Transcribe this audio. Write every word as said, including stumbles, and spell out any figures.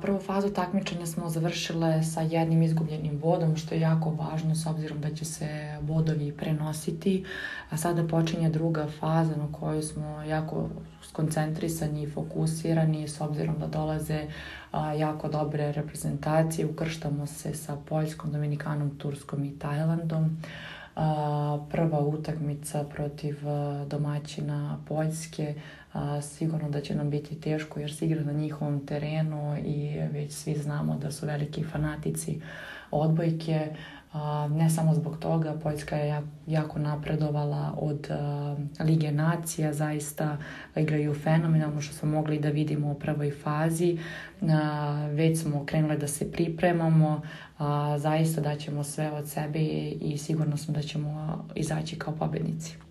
Prvu fazu takmičenja smo završile sa jednim izgubljenim bodom, što je jako važno s obzirom da će se bodovi prenositi. A sada počinje druga faza na kojoj smo jako skoncentrisani i fokusirani s obzirom da dolaze a, jako dobre reprezentacije. Ukrštamo se sa Poljskom, Dominikanom, Turskom i Tajlandom. A, prva utakmica protiv a, domaćina Poljske. A, sigurno da će nam biti teško jer se igra na njihovom terenu i već svi znamo da su veliki fanatici odbojke. A, ne samo zbog toga, Poljska je jako napredovala od a, Lige nacija, zaista igraju fenomenalno što smo mogli da vidimo u prvoj fazi. A, već smo krenuli da se pripremamo, a, zaista daćemo sve od sebe i sigurno sam da ćemo izaći kao pobednici.